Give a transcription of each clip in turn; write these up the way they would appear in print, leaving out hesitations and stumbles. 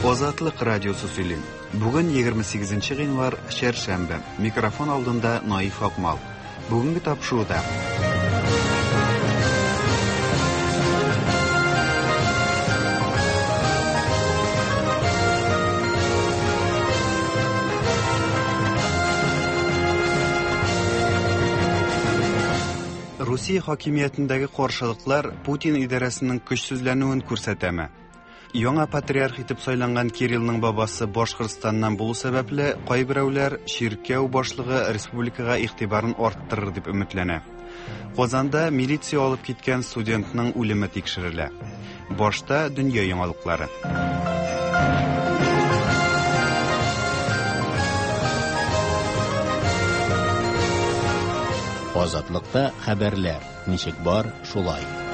Азатлык радиосы сөйли. Бүген 28 гыйнвар, чәршәмбе. Микрофон алдында Наиф Акмал. Бүгенге тапшыруда Русия хакимиятендәге каршылыклар Путин идарәсенең көчсезләнүен күрсәтәме? Яңа патриарх итеп сайланган Кириллның бабасы Башкортстаннан булу сәбәпле, кайберәүләр чиркәү башлыгы республикага игътибарын арттырыр дип өметләнә. Казанда милиция алып киткән студентның үлеме тикшерелә. Башта дөнья яңалыклары. Азатлыкта хәбәрләр. Ничек бар, шулай.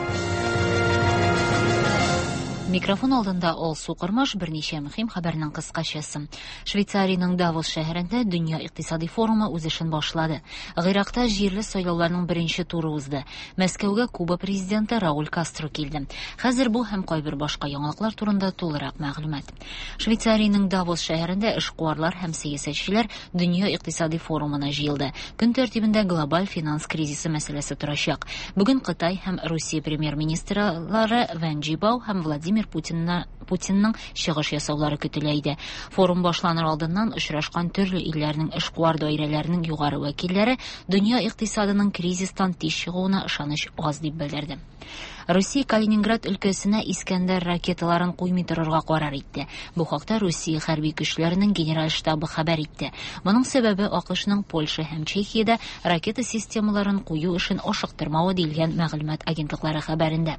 Микрофон алдында Алсу Кормаш берничә мөһим хәбәрнең кыскачасы. Швейцариянең Давос шәһәрендә Дөнья икътисади форумы үз эшен башлады. Гыйракта җирле сайлауларның беренче туры узды. Мәскәүгә Куба президенты Рауль Кастро килде. Хәзер бу һәм кайбер башка яңалыклар турында тулырак мәгълүмат. Швейцариянең Давос шәһәрендә эшкуарлар һәм сәясәтчеләр Дөнья икътисади форумына җыелды. Көн тәртибендә глобаль финанс кризисы мәсьәләсе торачак. Бүген Кытай һәм Русия премьер-министрлары Вэн Джибао һәм Владимир Путинна Путинның чыгыш ясаулары көтелә иде. Форум башланыр алдыннан очрашкан төрле илләрнең эшкуар даирәләренең югары вәкилләре дөнья икътисадының кризистан тиз чыгуына ышаныч аз дип белдерде. Русия Калининград өлкәсенә Искәндәр ракеталарын куймый торырга карар итте. Бу хакта Русия хәрби көчләренең генераль штабы хәбәр итте. Моның сәбәбе АКШның Польша һәм Чехиядә ракета системаларын кую эшен ашыктырмавы диелгән мәгълүмат агентлыклары хәбәрендә.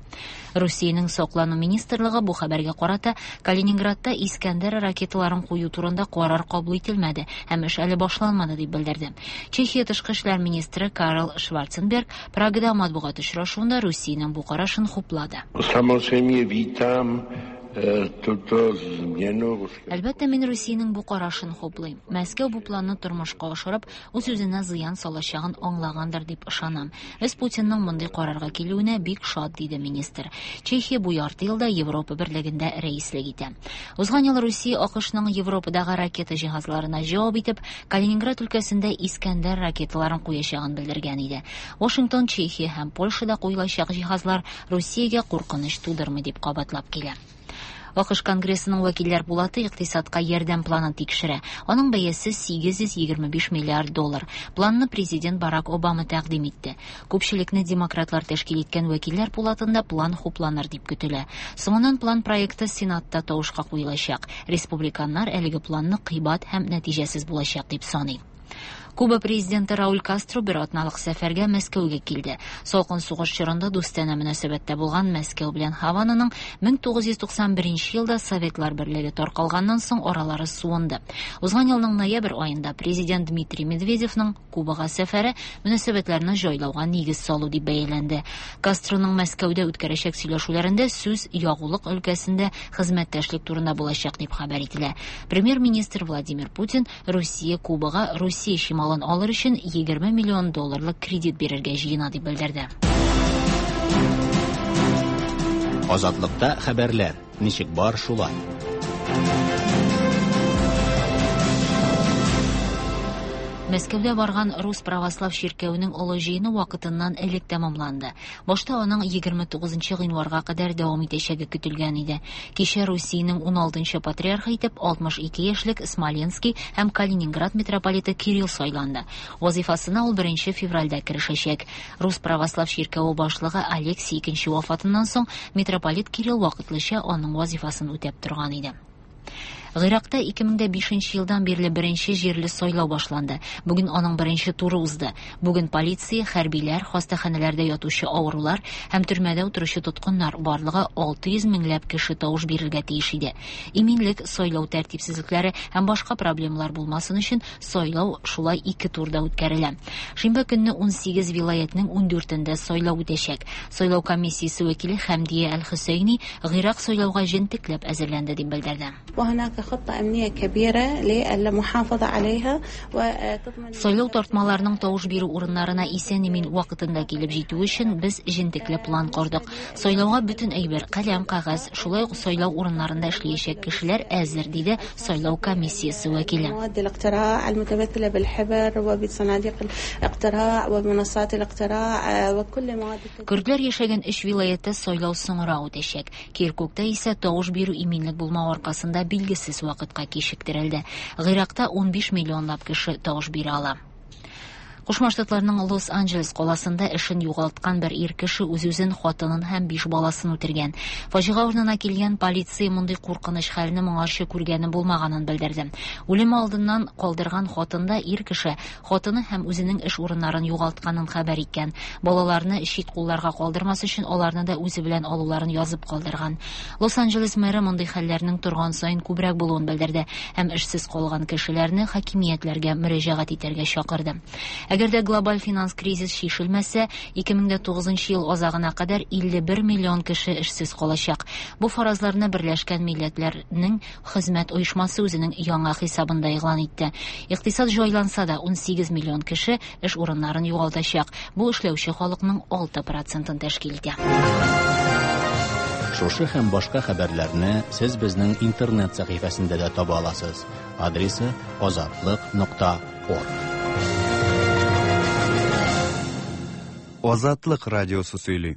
Русиянең саклану министрлыгы бу хәбәргә карата Калининградта Искәндәр ракеталарын кую турында карар кабул ителмәде һәм эш әле башланмады дип белдерде. Чехия тышкы эшләр министры Карл Шварценберг Прагада матбугат очрашуында Русиянең бу карашын хуплады. Samozřejmě vítám eh, tuto změnu. Әлбәттә, мин Русиянең бу карашын хуплыйм. Мәскәү бу планны тормышка ашырып, үз-үзенә зыян салачагын аңлагандыр дип ышанам. Без Путинның мондый карарга килүенә бик шат, диде министр. Чехия бу ярты елда Европа берлегендә рәислек итә. Узган ел Русия АКШның Европадагы ракета җиһазларына җавап итеп, Калининград өлкәсендә Искәндәр ракеталарын куячагын белдергән иде. Вашингтон Чехия һәм Польшада куелачак җиһазлар Русиягә куркыныч тудырмый дип кабатлап килә. АКШ Конгрессының вәкилләр пулаты икътисадка ярдәм планын тикшерә. Аның бәясе 825 миллиард доллар. Планны президент Барак Обама тәкъдим итте. Күпчелекне демократлар тәшкил иткән вәкилләр пулатында план хупланыр дип көтелә. Соңыннан план проекты Сенатта тавышка куелачак. Республиканнар әлеге планны кыйбат һәм нәтиҗәсез булачак дип саный. Куба президенты Рауль Кастро бер атналык сәфәргә Мәскәүгә килде. Салкын сугыш чорында дустанә мөнәсәбәттә булган Мәскәү белән Һавананың 1991 елда Советлар берлеге таркалганнан соң аралары суынды. Узган елның ноябрь аенда президент Дмитрий Медведевның Кубага сәфәре мөнәсәбәтләрне җайлауга нигез салу дип бәяләнде. Кастроның Мәскәүдә үткәрәчәк сөйләшүләрендә сүз ягулык өлкәсендә хезмәттәшлек турында булачак дип хәбәр ителә. Премьер-министр Владимир Путин Русия Кубага Русия чималын алыр өчен 20 миллион долларлык кредит бирергә җыена дип белдерде. Азатлыкта хәбәрләр. Ничек бар, шулай. Мәскәүдә барган Рус православ чиркәвенең олы җыены вакытыннан элек тәмамланды. Башта аның 29 гыйнварга кадәр дәвам итәчәге көтелгән иде. Кичә Русиянең 16 патриархы итеп 62 яшьлек Смоленский һәм Калининград митрополиты Кирилл сайланды. Вазифасына ул 1 февральдә керешәчәк. Рус православ чиркәве башлыгы Алексий II вафатыннан соң митрополит Кирилл вакытлыча аның вазифасын үтәп торган иде. Гыйракта 2005 елдан бирле беренче җирле сайлау башланды. Бүген аның беренче туры узды. Бүген полиция, хәрбиләр, хастаханәләрдә ятучы авырулар һәм төрмәдә утыручы тоткыннар барлыгы 600 меңләп кеше тавыш бирергә тиеш иде. Иминлек, сайлау тәртипсезлекләре һәм башка проблемалар булмасын өчен сайлау шулай ике турда үткәрелә. Шимбә көнне 18 вилаятның 14-ендә сайлау үтәчәк. Сайлау комиссиясе вәкиле Хәмдия Әл-Хөсәйни Гыйрак сайлауга җентекләп әзерләнде дип белдерде. وهناك خطة أمنية كبيرة للمحافظة عليها وتضمن Сайлау тартмаларының тавыш бирү урыннарына исән-имин вакытында килеп җитүе өчен без җентекле план кордык. Сайлауга бөтен әйбер, каләм, кәгазь, шулай ук сайлау урыннарында эшләячәк кешеләр әзер, диде сайлау комиссиясе вәкиле. مواد الاقتراع المتمثلة بالحبر وبصناديق الاقتراع وبمنصات الاقتراع وكل مواد Көрдләр яшәгән өч вилаятта сайлау соңрак үтәчәк. Киркукта исә тавыш бирү иминлек булмау аркасында билгесез вакытка кичектерелде. Гыйракта 15 миллионлап кеше тавыш бирә ала. Кушма Штатларның Лос-Анджелес каласында эшен югалткан бер ир кеше үз-үзен, хатынын һәм биш баласын үтергән. Фаҗига урынына килгән полиция мондый куркыныч хәлне моңарчы күргәне булмаганын белдерде. Үлем алдыннан калдырган хатында ир кеше хатыны һәм үзенең эш урыннарын югалтканын хәбәр иткән. Балаларны чит кулларга калдырмас өчен аларны да үзе белән алуларын язып калдырган. Лос-Анджелес мэры мондый хәлләрнең торган саен күбрәк булуын белдерде һәм эшсез калган кешеләрне хакимиятләргә мөрәҗәгать итәргә чакырды. Әгәр дә глобаль финанс кризис чишелмәсә, 2009 ел азагына кадәр 51 миллион кеше эшсез калачак. Бу фаразларны Берләшкән Милләтләрнең хезмәт оешмасы үзенең яңа хисабында игълан итте. Икътисад җайланса да 18 миллион кеше эш урыннарын югалтачак. Бу эшләүче халыкның 6 процентын тәшкил итә. Шушы һәм башка хәбәрләрне сез безнең интернет сәхифәсендә дә таба аласыз. Адресы azatliq.org. Азатлык радиосы сөйли.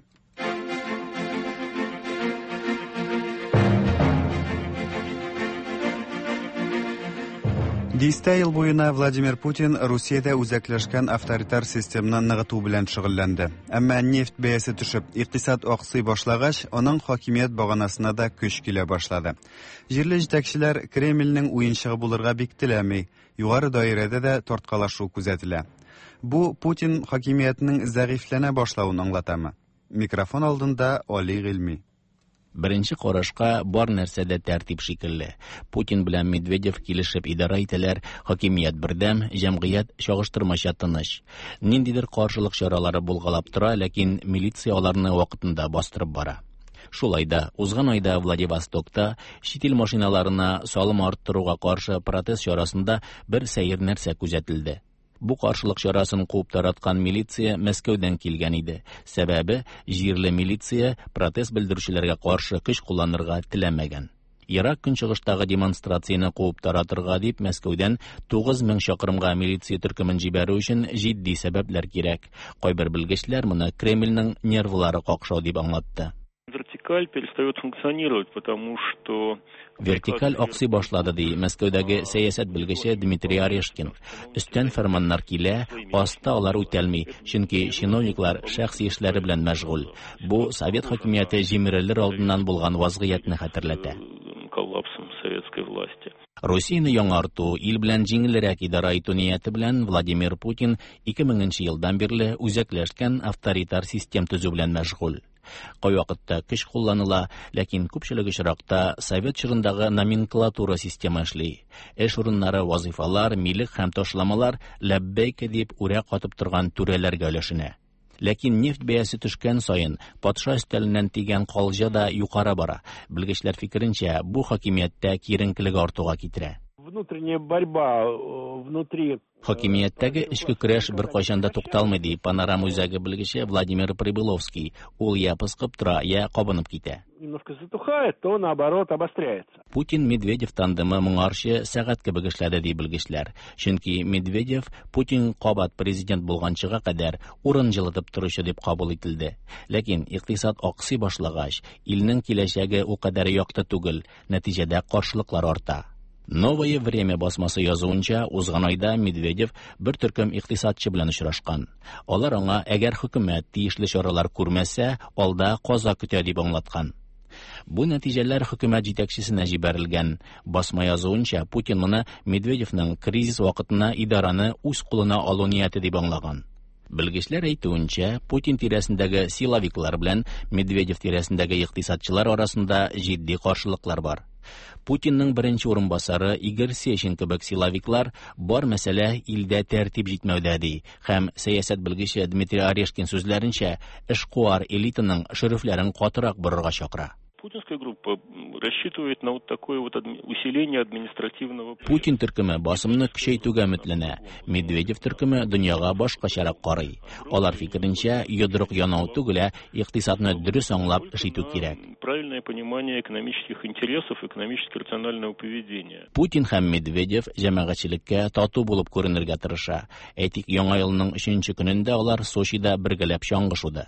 Дистә ел буена Владимир Путин Русиядә үзәкләшкән авторитар системны ныгыту белән шөгыльләнде. Әмма нефть бәясе төшеп, икътисад аксый башлагач, аның хакимият баганасына да көч килә башлады. Җирле җитәкчеләр Кремльнең уенчыгы булырга бик теләми, югары даирәдә дә тарткалашу күзәтелә. Бу Путин хакимиятенең зәгыйфьләнә башлавын аңлатамы? Микрофон алдында Али Гыйльми. Беренче карашка бар нәрсә дә тәртип шикелле. Путин белән Медведев килешеп идарә итәләр, хакимият бердәм, җәмгыять чагыштырмача тыныч. Ниндидер каршылык чаралары булгалап тора, ләкин милиция аларны вакытында бастырып бара. Шулай да, узган айда Владивостокта чит ил машиналарына салым арттыруга каршы протест чарасында бер сәер нәрсә күзәтелде. Бу каршылык чарасын куып тараткан милиция Мәскәүдән килгән иде. Сәбәбе җирле милиция протест белдерүчеләргә каршы көч кулланырга теләмәгән. Ерак көнчыгыштагы демонстрацияне куып таратырга дип Мәскәүдән 9000 чакрымга милиция төркемен җибәрү өчен җитди сәбәпләр кирәк. Кайбер белгечләр моны Кремльнең нервлары какшау дип аңлатты. Вертикаль перестает функционировать, потому что Вертикаль аксый башлады, ди Мәскәүдәге сәясәт белгече Дмитрий Орешкин. Өстән фәрманнар килә, аста алар үтәлми, чөнки чиновниклар шәхси эшләре белән мәшгуль. Бу совет хакимияте җимерелер алдыннан булган вазгыятьне хәтерләтә. Коллапсом советской власти. Русияне яңарту, ил белән җиңелрәк идарә итү нияте белән Владимир Путин 2000 елдан бирле үзәкләшкән авторитар систем төзү белән мәшгуль. Кайвакытта көч кулланыла, ләкин күпчелек очракта совет чорындагы номенклатура система эшли. Эш урыннары, вазифалар, милек һәм ташламалар ләббәйкә дип үрә катып торган түрәләргә өләшенә. Ләкин нефть бәясе төшкән саен патша өстәленнән тигән калҗа да югары бара. Белгечләр фикеренчә, бу хакимияттә киеренкелек артуга китерә. Внутренняя борьба внутри Хакимияттәге эчке көрәш беркайчан да тукталмый, ди Панорама үзәге белгече Владимир Прибыловский. Ул я пыскып тора, я кабынып китә. Немножко затухает, то наоборот обостряется. Путин Медведев тандемы моңарчы сәгать кебек эшләде, ди белгечләр. Чөнки Медведев Путин кабат президент булганчыга кадәр урын җылытып торучы дип кабул ителде. Ләкин икътисад аксый башлагач, илнең киләчәге ул кадәр якты түгел, нәтиҗәдә каршылыклар арта. Новое время басмасы язуынча, узган айда Медведев бер төркем икътисадчы белән очрашкан. Алар аңа әгәр хөкүмәт тиешле чаралар күрмәсә, алда каза көтә дип аңлаткан. Бу нәтиҗәләр хөкүмәт җитәкчесенә җибәрелгән. Басма язуынча, Путин моны Медведевның кризис вакытына идараны үз кулына алу нияте дип аңлаган. Белгечләр әйтүенчә, Путин тирәсендәге силовиклар белән Медведев тирәсендәге икътисадчылар арасында җитди каршылыклар бар. Путинның беренче урынбасары Игорь Сечин кебек силовиклар бар мәсьәлә илдә тәртип җитмәүдә ди һәм сәясәт белгече Дмитрий Орешкин сүзләренчә, эшкуар элитаның шөрефләрен катырак борырга чакыра. Путинская группа рассчитывает на вот такое вот усиление административного... Путин төркеме басымны көчәйтүгә өметләнә. Медведев төркеме дөньяга башкачарак карый. Алар фикеренчә, йодрык янау түгел, ә икътисадны дөрес аңлап эш итү кирәк. Правильное понимание экономических интересов, экономически рационального поведения. Путин һәм Медведев җәмәгатьчелеккә тату булып күренергә тырыша. Әйтик, Яңа елның 3 көнендә алар Сочида бергәләп чаңгы шуды.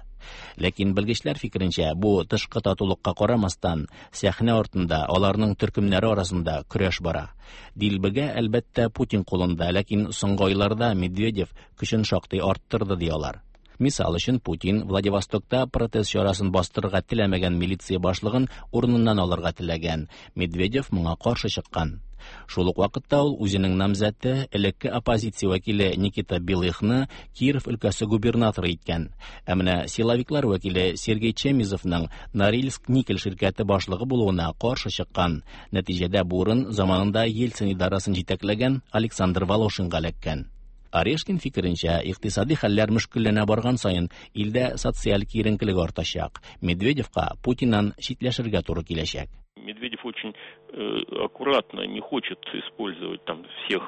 Ләкин белгечләр фикеренчә, бу тышкы татулыкка карамастан, сәхнә артында аларның төркемнәре арасында көрәш бара. Дилбегә, әлбәттә, Путин кулында, ләкин соңгы айларда Медведев көчен шактый арттырды, ди алар. Мисал өчен, Путин Владивостокта протест чарасын бастырырга теләмәгән милиция башлыгын урыныннан алырга теләгән. Медведев моңа каршы чыккан. Шул ук вакытта ул үзенең намзәте, элекке оппозиция вәкиле Никита Белыхны Киров өлкәсе губернаторы иткән. Ә менә силовиклар вәкиле Сергей Чемизовның Норильск никель ширкәте башлыгы булуына каршы чыккан. Нәтиҗәдә бу урын заманында Ельцин идарәсен җитәкләгән Александр Волошинга эләккән. Орешкин фикеренчә, икътисади хәлләр мөшкелләнә барган саен илдә социаль киеренкелек артачак. Медведевка Путиннан читләшергә туры киләчәк. Медведев очень аккуратно не хочет использовать там всех.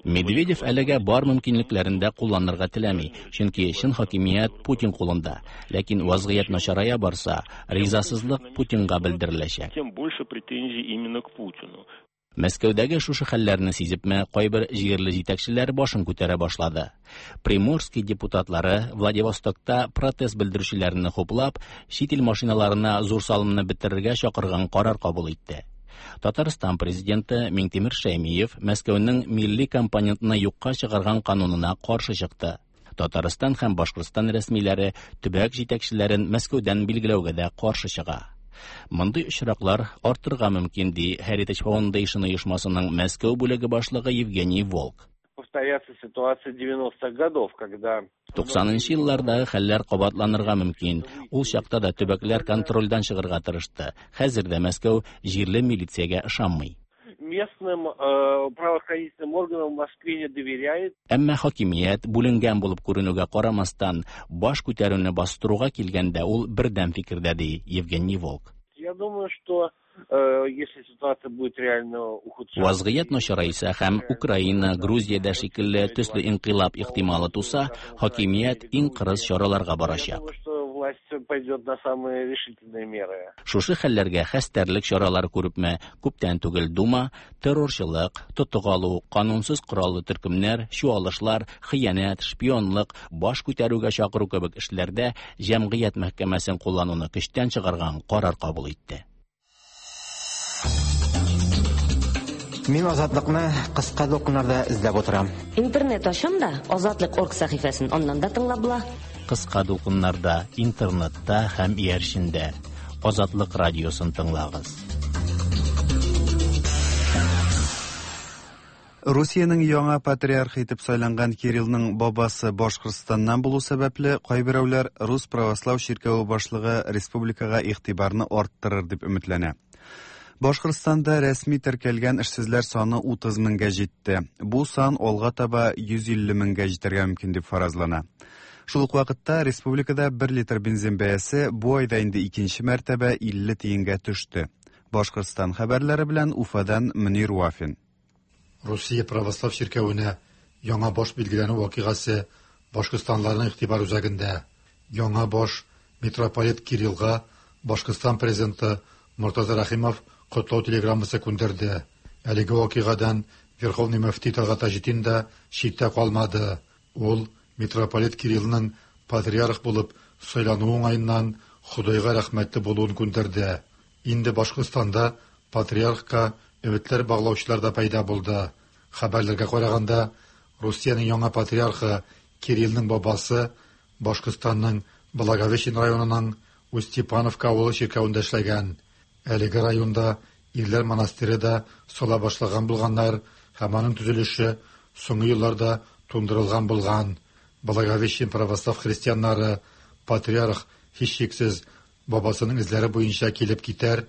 Медведев әлегә бар мөмкинлекләрен дә кулланырга теләми, чөнки чын хакимият Путин кулында. Ләкин вазгыять начарая барса, ризасызлык Путинга белдереләчәк. Тем больше претензий именно к Путину. Мәскәүдәге шушы хәлләрне сизепме, кайбер җирле җитәкчеләр башын күтәрә башлады. Приморский депутатлары Владивостокта протест белдерүчеләрне хуплап, чит ил машиналарына зур салымны бетерергә чакырган карар кабул итте. Татарстан президенты Миңтимер Шәймиев Мәскәүнең милли компонентны юкка чыгарган канунына каршы чыкты. Татарстан һәм Башкортстан рәсмиләре төбәк җитәкчеләрен Мәскәүдән билгеләүгә дә каршы чыга. Мондый очраклар артырга мөмкин, ди Heritage Foundation оешмасының Мәскәү бүлеге башлыгы Евгений Волк. Повторяться ситуация 90-х годов, когда 90-нчы еллардагы хәлләр кабатланырга мөмкин. Ул чакта да төбәкләр контрольдән чыгарга тырышты. Хәзер дә Мәскәү җирле милициягә ышанмый. Местным правоохранительным органам в Москве не доверяет. Әмма хакимият бүленгән булып күренүгә карамастан, баш күтәрүне бастыруга килгәндә ул бердәм фикердә, ди Евгений Волк. Я думаю, что если ситуация будет реально ухудшаться... Вазгыять начарайса һәм Украина, Грузиядә шикелле төсле инкыйлаб ихтималы туса, хакимият иң кырыс чараларга барачак. Я думаю, что власть пойдет на самые решительные меры. Шушы хәлләргә хәстәрлек чаралары күрепме, күптән түгел Дума террорчылык, тотык алу, канунсыз кораллы төркемнәр, чуалышлар, хыянәт, шпионлык, баш күтәрүгә чакыру кебек эшләрдә җәмгыять мәхкәмәсен куллануны көчтән чыгарган карар кабул итте. Мин Азатлыкны кыска дулкыннарда эзләп утырам. Интернет ачам да, Азатлык.орг сәхифәсен аннан да тыңлап була. Кыска дулкыннарда, интернетта һәм иярчендә Азатлык радиосын тыңлагыз. Русиянең яңа патриархы итеп сайланган Кириллның бабасы Башкортстаннан булу сәбәпле, кайберәүләр Рус православ чиркәве башлыгы республикага игътибарны арттырыр дип өметләнә. Башкортстанда рәсми теркәлгән эшсезләр саны 30 меңгә җитте. Бу сан алга таба 150 меңгә җитәргә мөмкин дип фаразлана. Шул ук вакытта республикада 1 литр бензин бәясе бу айда инде икенче мәртәбә 50 тиенгә төште. Башкортстан хәбәрләре белән Уфадан Мөнир Вафин. Русия православ чиркәвенә яңа баш билгеләнү вакыйгасы Башкортстанларның игътибар үзәгендә. Яңа баш митрополит Кириллга Башкортстан президенты Мортаза Рәхимов котлау телеграммасы күндерде. Әлеге вакыйгадан Верховный мөфти Талгат Таҗетдин да читтә калмады. Ул митрополит Кириллның патриарх булып сайлануы уңаеннан Ходайга рәхмәтле булуын күндерде. Инде Башкортстанда патриархка өметләр баглаучылар да пәйда булды. Хәбәрләргә караганда, Русиянең яңа патриархы Кириллның бабасы Башкортстанның Благовещен районының Устепановка авылы чиркәвендә эшләгән. Әлеге районда ирләр монастыре да сала башлаган булганнар һәм аның төзелеше соңгы елларда тундырылган булган. Благовещен православ христианнары патриарх һичшиксез бабасының эзләре буенча килеп китәр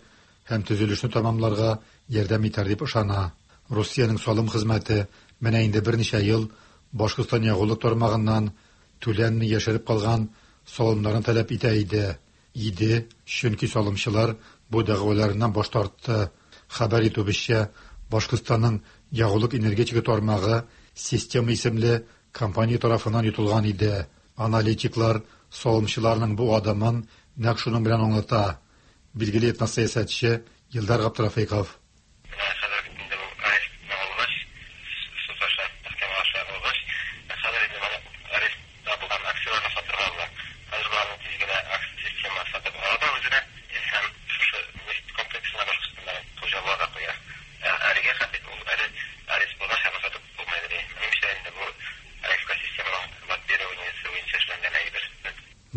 һәм төзелешне тәмамларга ярдәм итәр дип ышана. Русиянең салым хезмәте менә инде берничә ел Башкортстан ягулык тармагыннан түләнми яшереп калган салымнарын таләп итә иде. Иде, чөнки салымчылар бу дәгъваларыннан баш тартты. Хәбәр итүебезчә, Башкортстанның ягулык-энергетика тармагы Система исемле компания тарафыннан йотылган иде. Аналитиклар салымчыларның бу адымын нәкъ шуның белән аңлата. Билгеле этносәясәтче Илдар Габдрафыйков. Менә хәзер бит инде бу арестны алгач, суд аша, мәхкәмә аша алгач, хәзер инде моны арестта булган акцияләрне сатырга була. Хәзер боларны тиз генә система сатып ала да үзенә һәм шушы нефть комплексына Башкортстанда хуҗа була да куя. Ә әлегә хәтле ул әле арест булгач, аны сатып булмый әле. Минемчә, инде бу АФК системаның лоббированиесе буенча эшләнгән әйбер.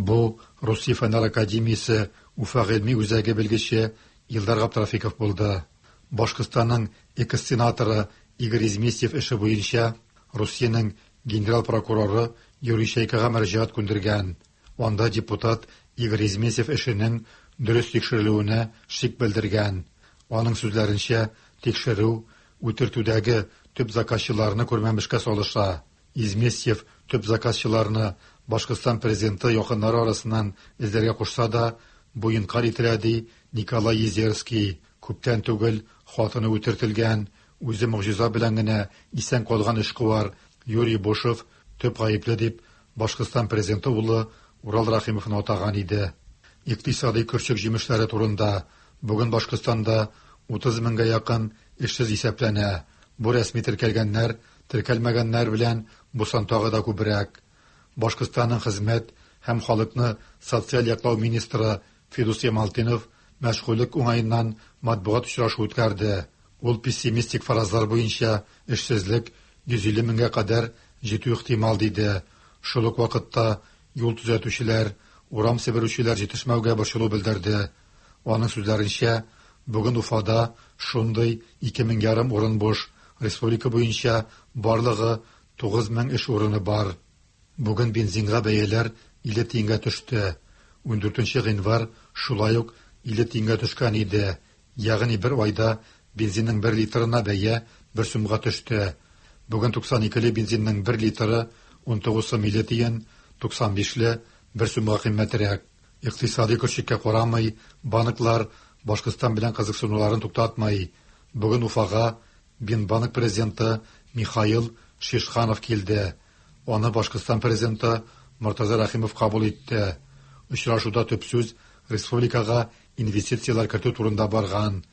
Бу Русия Фәннәр академиясе Уфа гыйльми үзәге белгече Илдар Габдрафиков булды. Башкортстанның экс-сенаторы Игорь Изместьев эше буенча Русиянең генерал прокуроры Юрий Чайкага мөрәҗәгать күндергән. Анда депутат Игорь Изместьев эшенең дөрес тикшерелүенә шик белдергән. Аның сүзләренчә, тикшерү үтертүдәге төп заказчыларны күрмәмешкә салыша. Изместьев төп заказчыларны Башкортстан президенты якыннары арасыннан эзләргә кушса да, бу инкарь ителә, ди Николай Езерский. Күптән түгел хатыны үтертелгән, үзе могҗиза белән генә исән калган эшкуар Юрий Бушев төп гаепле дип Башкортстан президенты улы Урал Рәхимовны атаган иде. Икътисади көрчек җимешләре турында бүген Башкортстанда 30 меңгә якын эшсез исәпләнә. Бу рәсми теркәлгәннәр, теркәлмәгәннәр белән бу сан тагы да күбрәк. Башкортстанның хезмәт һәм халыкны социаль яклау министры Фидус Ямалтдинов мәшгульлек уңаеннан матбугат очрашу үткәрде. Ул пессимистик фаразлар буенча эшсезлек 150 меңгә кадәр җитү ихтимал диде. Шул ук вакытта юл төзәтүчеләр, урам себерүчеләр җитешмәүгә борчылу белдерде. Аның сүзләренчә, бүген Уфада шундый 2500 урын буш, республика буенча барлыгы 9000 эш урыны бар. Бүген бензинга бәяләр 50 тиенгә төште. 14 гыйнвар шулай ук 50 тиенгә төшкән иде. Ягъни бер айда бензинның 1 литрына бәя 1 сумга төште. Бүген 92-ле бензинның 1 литры 19 сум 50 тиен, 95-ле 1 сумга кыйммәтрәк. Икътисади көрчеккә карамый, банклар Башкортстан белән кызыксынуларын туктатмый. Бүген Уфага Бинбанк президенты Михаил Шишханов килде. Аны Башкортстан президенты Мортаза Рәхимов кабул итте. Очрашуда төп сүз республикага инвестицияләр кертү турында барган.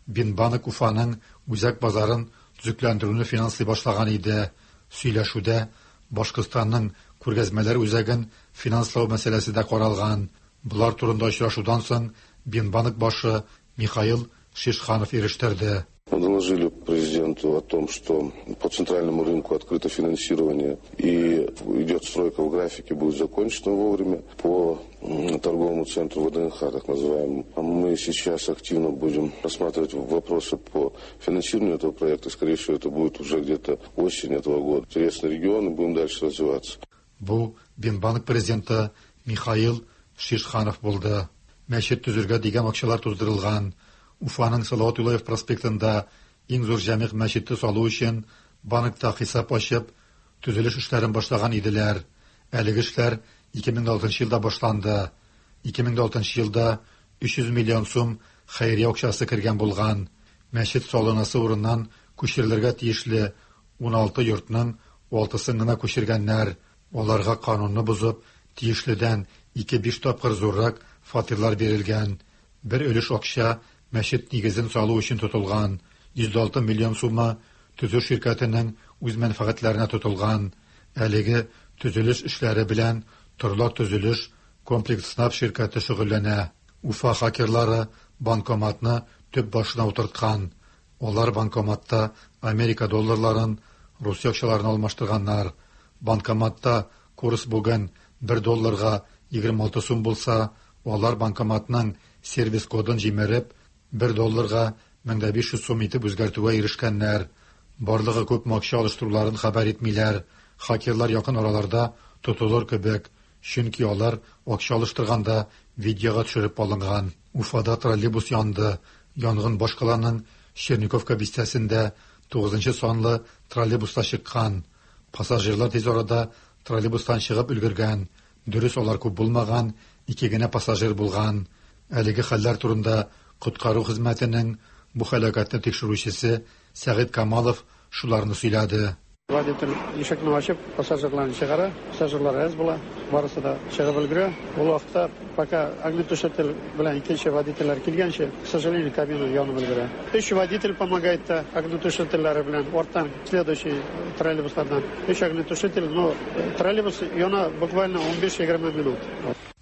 Бинбанк Уфаның үзәк базарын төзекләндерүне финанслый башлаган иде. Сөйләшүдә Башкортстанның күргәзмәләр үзәген финанслау мәсьәләсе дә каралган. Болар турында очрашудан соң Бинбанк башы Михаил Шишханов ирештерде. Мы доложили президенту о том, что по центральному рынку открыто финансирование и идет стройка в графике, будет закончена вовремя. По торговому центру ВДНХ, так называемому, мы сейчас активно будем рассматривать вопросы по финансированию этого проекта. Скорее всего, это будет уже где-то осень этого года. Интересный регион, и будем дальше развиваться. Бу Бинбанк президенты Михаил Шишханов булды. Мәчет төзергә дигән акчалар туздырылган. Уфаның Салават Юлаев проспектында иң зур җәмигъ мәчете салу өчен банкта хисап ачып, төзелеш эшләрен башлаган иделәр. Әлеге эшләр 2006 елда башланды. 2006 елда 300 миллион сум хәйрия акчасы кергән булган. Мәчет салынасы урыннан күчерелергә тиешле 16 йортның 6-сын гына күчергәннәр. Аларга канунны бозып, тиешледән 2-5 тапкыр зуррак фатирлар бирелгән. Бер өлеш акча мәчет нигезен салу өчен тотылган. 106 миллион сумы төзү ширкәтенең үз мәнфәгатьләренә тотылган. Әлеге төзелеш эшләре белән Торлак төзелеш комплекс СНАП ширкәте шөгыльләнә. Уфа хакерлары банкоматны төп башына утырткан. Алар банкоматта Америка долларларын Русия акчаларына алмаштырганнар. Банкоматта курс бүген 1 долларга 26 сум булса, алар банкоматның сервис кодын җимереп, 1 долларга 1500 сум итеп үзгәртүгә ирешкәннәр. Барлыгы күпме акча алыштыруларын хәбәр итмиләр. Хакерлар якын араларда тотылыр кебек, чөнки алар акча алыштырганда видеога төшереп алынган. Уфада троллейбус янды. Янгын башкаланың Черниковка бистәсендә 9 санлы троллейбуста чыккан. Пассажирлар тиз арада троллейбустан чыгып өлгергән. Дөрес, алар күп булмаган, ике генә пассажир булган. Әлеге хәлләр турында коткару хезмәтенең бу һәлакәтне тикшерүчесе Сәгыйть Камалов шуларны сөйләде. Водитель ишекне ачып, пассажирларны чыгара. Пассажирлар әз була, барысы да чыгып өлгерә. Ул вакытта пока огнетушитель белән икенче водительләр килгәнче, к сожалению, кабина янып өлгерә. Өч водитель помогает та огнетушительләре белән арттан следующий троллейбуслардан. Өч огнетушитель, но троллейбус яна буквально 15-20 минут.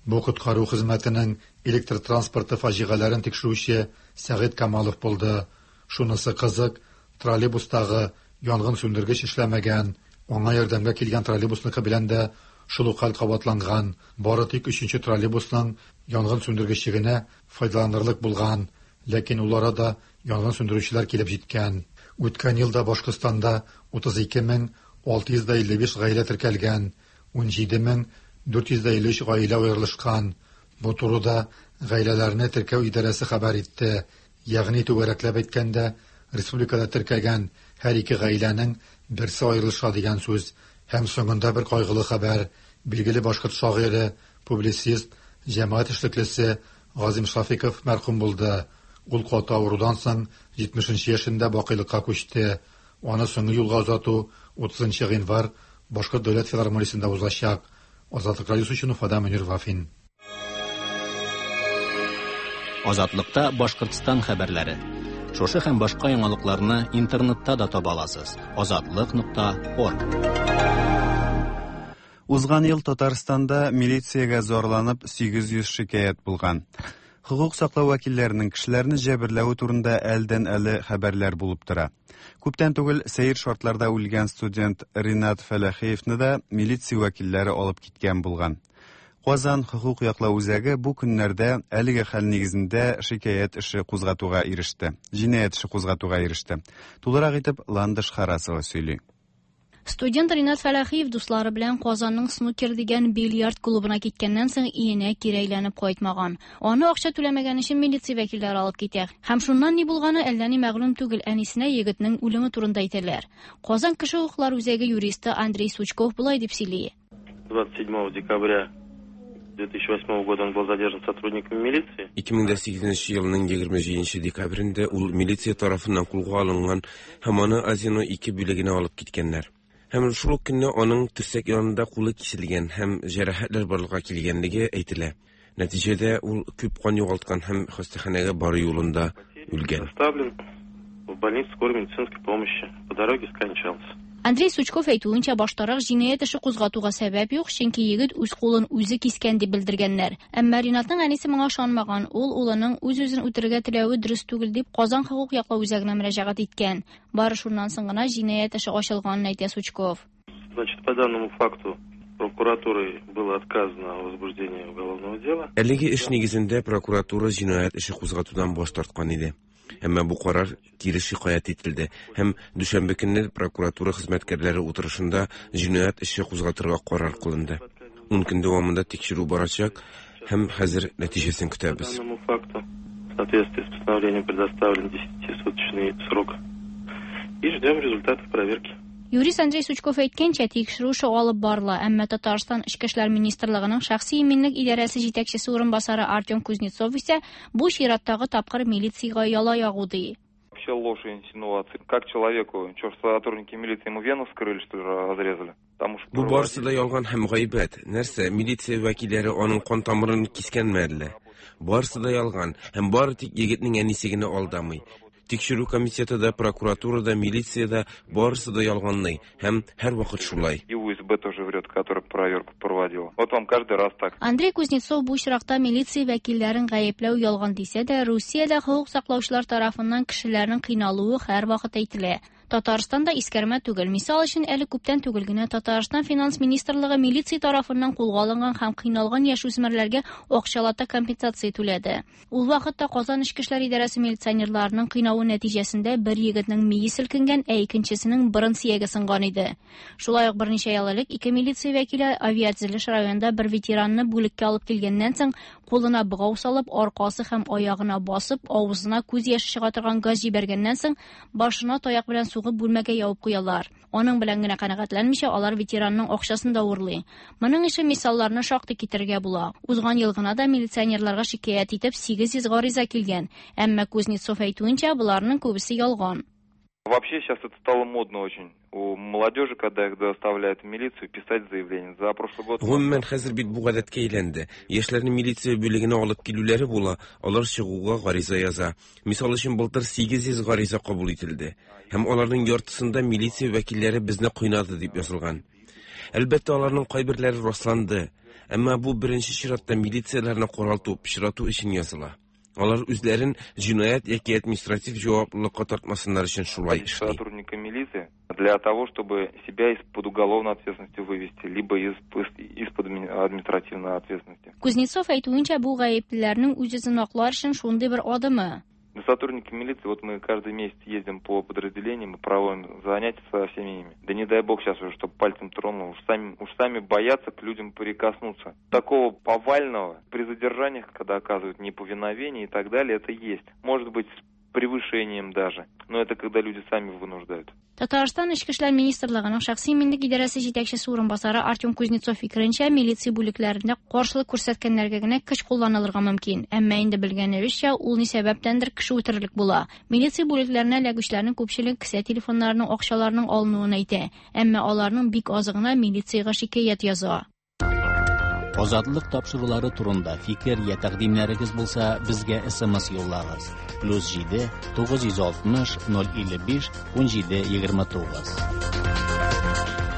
Бу коткару хезмәтенең электр транспорты фаҗигаләрен тикшерүче Сәгыйть Камалов булды. Шунысы кызык, троллейбустагы янгын сүндергеч эшләмәгән. Аңа ярдәмгә килгән троллейбусныкы белән дә шул ук хәл кабатланган. Бары тик өченче троллейбусның янгын сүндергече генә файдаланырлык булган. Ләкин ул арада янгын сүндерүчеләр килеп җиткән. Үткән елда Башкортстанда 32 655 гаилә теркәлгән, 17 453 гаилә аерылышкан. Бу турыда гаиләләрне теркәү идарәсе хәбәр итте. Ягъни түгәрәкләп әйткәндә, республикада теркәгән һәр ике гаиләнең берсе аерылыша дигән сүз. Һәм соңында бер кайгылы хәбәр. Билгеле башкорт шагыйре, публицист, җәмәгать эшлеклесе Газим Шафиков мәрхүм булды. Ул каты авырудан соң 70 яшендә бакыйлыкка күчте. Аны соңгы юлга озату 30 гыйнвар Башкорт дәүләт филармониясендә узачак. Азатлык радиосы өчен Уфадан Мөнир Вафин. Азатлыкта Башкортстан хәбәрләре. Шушы һәм башка яңалыкларны интернетта да таба аласыз. Азатлык.орг. Узган ел Татарстанда милициягә зарланып 800 шикаять булган. Хокук саклау вәкилләренең кешеләрне җәберләве турында әлдән-әле хәбәрләр булып тора. Күптән түгел сәер шартларда үлгән студент Ринат Фәләхиевны да милиция вәкилләре алып киткән булган. Казан хокук яклау үзәге бу көннәрдә әлеге хәл нигезендә шикаять эше кузгатуга иреште. Җинаять эше кузгатуга иреште. Тулырак итеп Ландыш Харасова сөйли. Студент Ринат Фәләхиев дуслары белән Казанның Снукер дигән бильярд клубына киткәннән соң өенә кире әйләнеп кайтмаган. Аны акча түләмәгән өчен милиция вәкилләре алып китә. Һәм шуннан ни булганы әллә ни мәгълүм түгел. Әнисенә егетнең үлеме турында әйтәләр. Казан кеше хокуклары үзәге юристы Андрей Сучков болай дип сөйли. 27 декабря 2008 года он был задержан сотрудниками милиции. 2008 елның 27 декабрендә ул милиция тарафыннан кулга алынган һәм аны Азино 2 бүлегенә алып киткәннәр. Һәм шул ук көнне аның терсәк янында кулы киселгән һәм җәрәхәтләр барлыкка килгәнлеге әйтелә. Нәтиҗәдә ул күп кан югалткан һәм хастаханәгә бару юлында үлгән. Доставлен в больницу скорой медицинской помощи. По дороге скончался. Андрей Сучков әйтүенчә, баштарак җинаять эше кузгатуга сәбәп юк, чөнки егет үз кулын үзе кискән дип белдергәннәр. Әмма Ринатның әнисе моңа ышанмаган. Ул улының үз-үзен үтерергә теләве дөрес түгел дип Казан хокук яклау үзәгенә мөрәҗәгать иткән. Бары шуннан соң гына җинаять эше ачылганын әйтә Сучков. Значит, по данному факту прокуратурой было отказано о возбуждении уголовного дела. Әлеге эш нигезендә прокуратура җинаять эше кузгатудан баш тарткан иде. Әмма бу карар кире шикаять ителде һәм дүшәмбе көнне прокуратура хезмәткәрләре утырышында җинаять эше кузгатырга карар кылынды. 10 көн дәвамында тикшерү барачак һәм хәзер нәтиҗәсен По көтәбез. данному факту в соответствии с постановлением предоставлен 10-суточный срок. И ждем результатов проверки. Юрист Андрей Сучков әйткәнчә, тикшерү эше алып барыла, әмма Татарстан Эчке эшләр министрлыгының шәхси иминлек идарәсе җитәкчесе урынбасары Артем Кузнецов исә бу чираттагы тапкыр милициягә яла ягу ди. Вообще ложь и инсинуации. Как человеку, что сотрудники милиции ему вену вскрыли, что ли, разрезали? Потому что Бу барысы да ялган һәм гайбәт. Нәрсә, милиция вәкилләре аның кан тамырын кискәнме әллә? Барысы да ялган һәм бары тик егетнең әнисе генә алдамый. Тикшерү комитеты да, прокуратура да, милиция да барысы да ялганлый һәм һәрвакыт шулай. И УСБ тоже врет, который проверку проводил. Вот вам каждый раз так. Андрей Кузнецов бу очракта милиция вәкилләрен гаепләү ялган дисә дә, Русиядә хокук саклаучылар тарафыннан кешеләрнең кыйналуы һәрвакыт әйтелә. Татарстанда искәрмә түгел. Мисал өчен, әле күптән түгел генә Татарстан финанс министрлыгы милиция тарафыннан кулга алынган һәм кыйналган яшүсмерләргә акчалата компенсация түләде. Ул вакытта Казан эчке эшләр идарәсе милиционерларының кыйнавы нәтиҗәсендә бер егетнең мие селкенгән, ә икенчесенең борын сөяге сынган иде. Шулай ук берничә ел элек ике милиция вәкиле авиатөзелеш районында бер ветеранны бүлеккә алып килгәннән соң Кулына богау салып, аркасы һәм аягына басып, авызына күз яше чыга торган газ җибәргәннән соң, башына таяк белән сугып бүлмәгә ябып куялар. Аның белән генә канәгатьләнмичә, алар ветеранның акчасын да урлый. Моның ише мисалларны шактый китерергә була. Узган ел гына да милиционерларга шикаять итеп 800 гариза килгән. Әмма Кузнецов әйтүенчә, боларның күбесе ялган. Вообще сейчас это стало модно очень у молодежи, когда их доставляют в милицию, писать заявление. За прошлый год... Гомумән, хәзер бит бу гадәткә әйләнде. Яшьләрне милиция бүлегенә алып килүләре була, алар чыгуга гариза яза. Мисал өчен, былтыр 800 гариза кабул ителде. Һәм аларның яртысында милиция вәкилләре безне кыйнады дип язылган. Әлбәттә, аларның кайберләре расланды. Әмма бу беренче чиратта милицияләрне каралту, пычрату өчен языла. Алар үзләрен җинаять яки административ җаваплылыкка тартмасыннар өчен шулай эшли. Сотрудника милиции для того, чтобы себя из-под уголовной ответственности вывести, либо из-под административной ответственности. Кузнецов әйтүенчә, бу гаеплеләрнең үз-үзен аклар өчен шундый бер адымы. Сотрудники милиции, вот мы каждый месяц ездим по подразделениям и проводим занятия со всеми ими. Да не дай бог сейчас уже, чтобы пальцем тронул, уж сами боятся к людям прикоснуться. Такого повального при задержаниях, когда оказывают неповиновение и так далее, это есть. Может быть, с превышением даже. Но это когда люди сами вынуждают. Татарстан Эчке эшләр министрлыгының шәхси иминлек идарәсе җитәкчесе урынбасары Артем Кузнецов фикеренчә, милиция бүлекләрендә каршылык күрсәткәннәргә генә көч кулланылырга мөмкин. Әмма инде белгәнебезчә, ул ни сәбәптәндер кеше үтерерлек була. Милиция бүлекләренә эләгүчеләрнең күпчелеге кесә телефоннарының, акчаларының алынуын әйтә. Әмма аларның бик азы гына милициягә шикаять яза. Азатлык тапшырулары турында фикер я тәкъдимнәрегез булса, безгә SMS юллагыз. +7 960 055 17 29.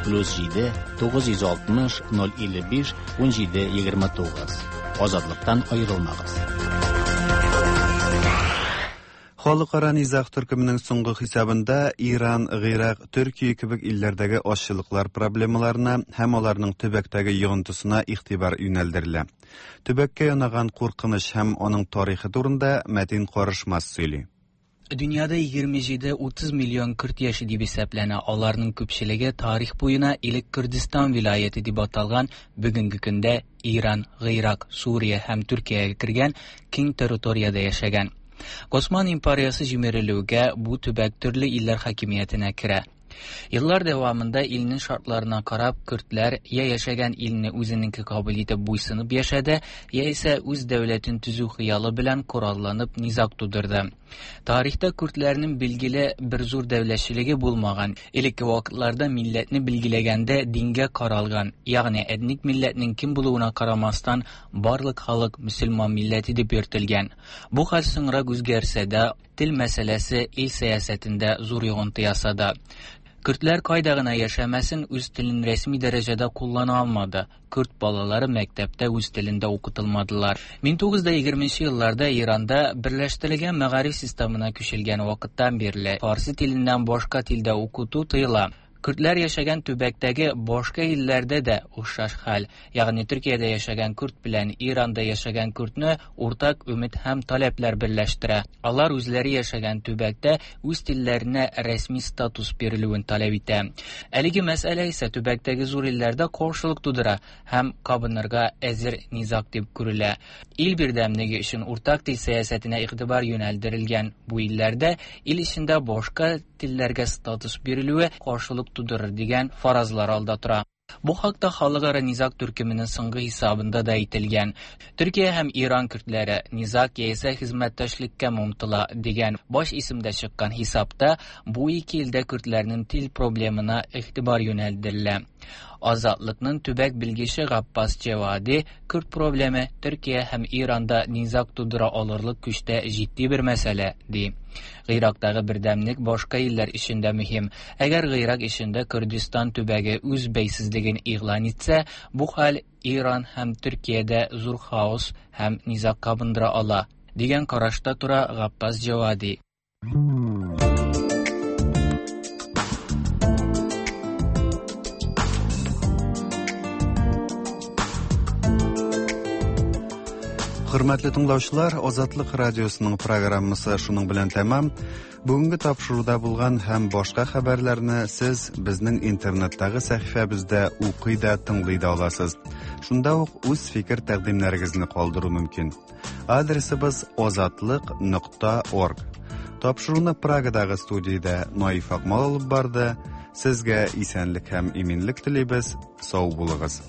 +7 960 055 17 29. Азатлыктан аерылмагыз. Халыкара низаг төркеменең соңгы хисабында Иран, Гыйрак, Төркия кебек илләрдәге азчылыклар проблемаларына һәм аларның төбәктәге йогынтысына игътибар юнәлдерелә. Төбәккә янаган куркыныч һәм аның тарихы турында Мәтин Карышмас сөйли. Дөньяда 27-30 миллион көрд яши дип исәпләнә. Аларның күпчелеге тарих буена элек Күрдистан вилаяте дип аталган бүгенге көндә Иран, Гыйрак, Сүрия һәм Төркиягә кергән киң территориядә яшәгән. Госман империясе җимерелүгә бу төбәк төрле илләр хакимиятенә керә. Еллар дәвамында илнең шартларына карап, көрдләр я яшәгән илне үзенеке кабул итеп буйсынып яшәде, яисә үз дәүләтен төзү хыялы белән коралланып низаг тудырды. Тарихта көрдләрнең билгеле бер зур дәүләтчелеге булмаган. Элекке вакытларда милләтне билгеләгәндә дингә каралган, ягъни этник милләтнең кем булуына карамастан, барлык халык мөселман милләте дип йөртелгән. Бу хәл соңрак үзгәрсә дә, тел мәсьәләсе ил сәясәтендә зур йогынты ясады. Көрдләр кайда гына яшәмәсен, үз телен рәсми дәрәҗәдә куллана алмады. Көрд балалары мәктәптә үз телендә укытылмадылар. 1920 елларда Иранда берләштерелгән мәгариф системына күчелгән вакыттан бирле фарсы теленнән башка телдә укыту тыела. Көрдләр яшәгән төбәктәге башка илләрдә дә охшаш хәл. Ягъни Төркиядә яшәгән көрд белән Иранда яшәгән көрдне уртак өмет һәм таләпләр берләштерә. Алар үзләре яшәгән төбәктә үз телләренә рәсми статус бирелүен таләп итә. Әлеге мәсьәлә исә төбәктәге зур илләрдә каршылык тудыра һәм кабынырга әзер низаг дип күрелә. Ил бердәмлеге өчен уртак тел сәясәтенә игътибар юнәлдерелгән бу илләрдә ил эчендә башка телләргә статус бирелүе каршылык тудырыр дигән фаразлар алда тора. Бу хакта халыкара низаг төркеменең соңгы хисабында да әйтелгән. Төркия һәм Иран көрдләре низаг яисә хезмәттәшлеккә омтыла дигән баш исемдә чыккан хисапта бу ике илдә көрдләрнең тел проблемына игътибар юнәлдерелә. Азатлыкның төбәк белгече Габбас Джавади көрд проблемы Төркия һәм Иранда низаг тудыра алырлык көчтә җитди бер мәсьәлә, ди. Гыйрактагы бердәмлек башка илләр өчен дә мөһим. Әгәр Гыйрак эчендә Күрдистан төбәге үз бәйсезлеген игълан итсә, бу хәл Иран һәм Төркиядә зур хаос һәм низаг кабындыра ала, дигән карашта тора Габбас Джавади. Хөрмәтле тыңлаучылар, Азатлык радиосының программасы шуның белән тәмам. Бүгенге тапшыруда булган һәм башка хәбәрләрне сез безнең интернеттагы сәхифәбездә укый да, тыңлый да аласыз. Шунда ук үз фикер-тәкъдимнәрегезне калдыру мөмкин. Адресыбыз озатлык нокта орг. Тапшыруны Прагадагы студиядә Наиф Акмал алып барды. Сезгә исәнлек һәм иминлек телибез. Сау булыгыз.